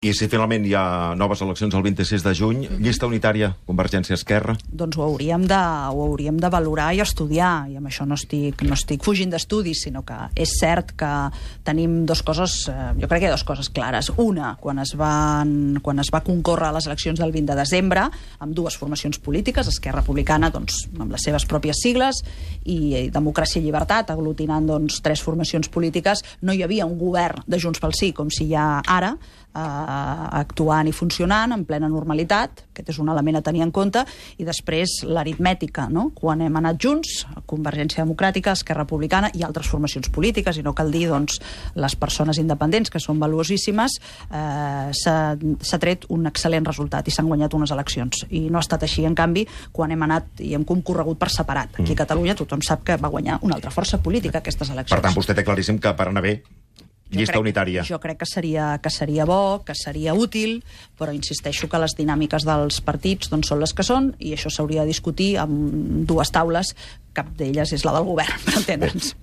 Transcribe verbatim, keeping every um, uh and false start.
I si finalment hi ha noves eleccions el vint-i-sis de juny, mm-hmm. llista unitària, Convergència-Esquerra? Doncs ho hauríem, de, ho hauríem de valorar i estudiar, i amb això no estic, no estic fugint d'estudis, sinó que és cert que tenim dues coses, eh, jo crec que hi ha dues coses clares. Una, quan es, van, quan es va concórrer a les eleccions del vint de desembre, amb dues formacions polítiques, Esquerra Republicana, doncs, amb les seves pròpies sigles, i, i Democràcia i Llibertat, aglutinant doncs, tres formacions polítiques, no hi havia un govern de Junts pel Sí, com si hi ha ara, eh, actuant i funcionant en plena normalitat. Aquest és un element a tenir en compte. I després l'aritmètica, no? Quan hem anat junts, Convergència Democràtica, Esquerra Republicana i altres formacions polítiques, i no cal dir doncs, les persones independents, que són valuosíssimes, eh, s'ha tret un excel·lent resultat i s'han guanyat unes eleccions. I no ha estat així, en canvi, quan hem anat i hem concorregut per separat. Aquí a Catalunya tothom sap que va guanyar una altra força política aquestes eleccions. Per tant, vostè té claríssim que per anar bé llista crec, unitària. Jo crec que seria, que seria bo, que seria útil, però insisteixo que les dinàmiques dels partits doncs, són les que són, i això s'hauria de discutir amb dues taules, cap d'elles és la del govern, per entendre'ns.